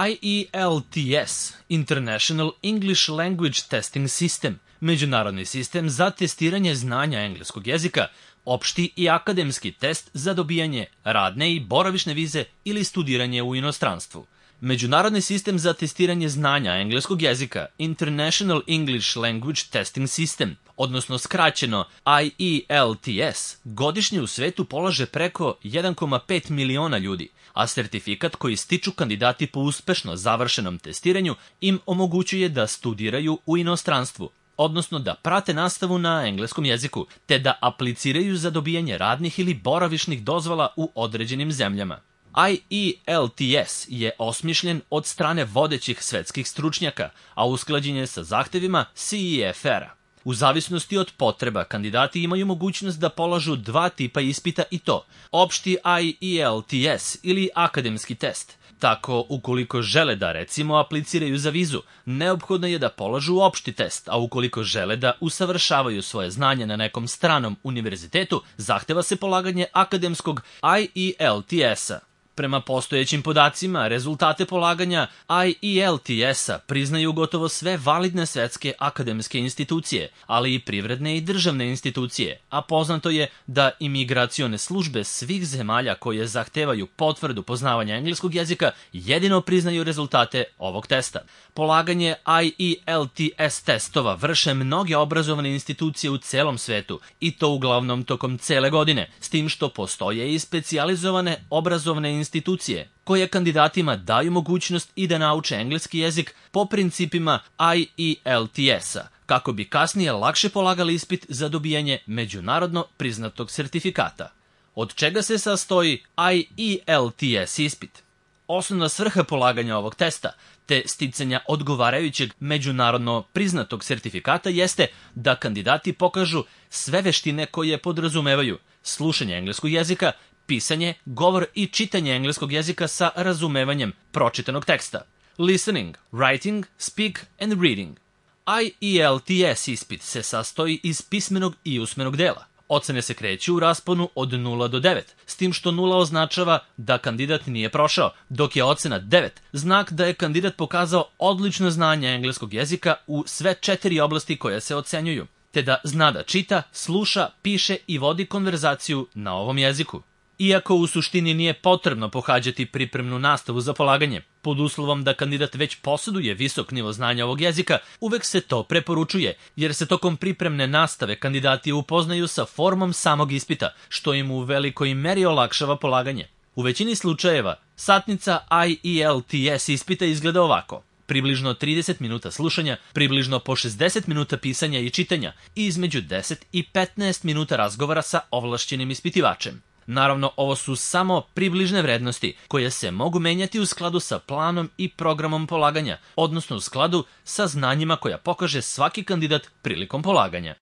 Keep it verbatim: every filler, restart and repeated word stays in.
I E L T S, International English Language Testing System, međunarodni sistem za testiranje znanja engleskog jezika, opšti i akademski test za dobijanje radne i boravišne vize ili studiranje u inostranstvu. Međunarodni sistem za testiranje znanja engleskog jezika, International English Language Testing System, odnosno skraćeno I E L T S, godišnje u svetu polaže preko jedan zarez pet miliona ljudi, a sertifikat koji stiču kandidati po uspešno završenom testiranju im omogućuje da studiraju u inostranstvu, odnosno da prate nastavu na engleskom jeziku, te da apliciraju za dobijanje radnih ili boravišnih dozvola u određenim zemljama. I E L T S je osmišljen od strane vodećih svetskih stručnjaka, a usklađen je sa zahtevima C E F R-a. U zavisnosti od potreba, kandidati imaju mogućnost da polažu dva tipa ispita i to, opšti I E L T S ili akademski test. Tako, ukoliko žele da, recimo, apliciraju za vizu, neophodno je da polažu opšti test, a ukoliko žele da usavršavaju svoje znanje na nekom stranom univerzitetu, zahteva se polaganje akademskog I E L T S-a. Prema postojećim podacima, rezultate polaganja I E L T S-a priznaju gotovo sve validne svetske akademske institucije, ali i privredne i državne institucije, a poznato je da imigracione službe svih zemalja koje zahtevaju potvrdu poznavanja engleskog jezika jedino priznaju rezultate ovog testa. Polaganje I E L T S testova vrše mnoge obrazovne institucije u celom svetu, i to uglavnom tokom cele godine, s tim što postoje i specijalizovane obrazovne institucije institucije koje kandidatima daju mogućnost i da nauče engleski jezik po principima I E L T S-a, kako bi kasnije lakše polagali ispit za dobijanje međunarodno priznatog sertifikata. Od čega se sastoji I E L T S ispit? Osnovna svrha polaganja ovog testa, te sticanja odgovarajućeg međunarodno priznatog sertifikata jeste da kandidati pokažu sve veštine koje podrazumevaju slušanje engleskog jezika, pisanje, govor i čitanje engleskog jezika sa razumevanjem pročitanog teksta. Listening, writing, speak and reading. I E L T S ispit se sastoji iz pismenog i usmenog dela. Ocene se kreću u rasponu od nula do devet, s tim što nula označava da kandidat nije prošao, dok je ocena devet znak da je kandidat pokazao odlično znanje engleskog jezika u sve četiri oblasti koje se ocenjuju, te da zna da čita, sluša, piše i vodi konverzaciju na ovom jeziku. Iako u suštini nije potrebno pohađati pripremnu nastavu za polaganje, pod uslovom da kandidat već posjeduje visok nivo znanja ovog jezika, uvek se to preporučuje, jer se tokom pripremne nastave kandidati upoznaju sa formom samog ispita, što im u velikoj meri olakšava polaganje. U većini slučajeva, satnica I E L T S ispita izgleda ovako: približno trideset minuta slušanja, približno po šezdeset minuta pisanja i čitanja i između deset i petnaest minuta razgovora sa ovlašćenim ispitivačem. Naravno, ovo su samo približne vrednosti koje se mogu menjati u skladu sa planom i programom polaganja, odnosno u skladu sa znanjima koja pokaže svaki kandidat prilikom polaganja.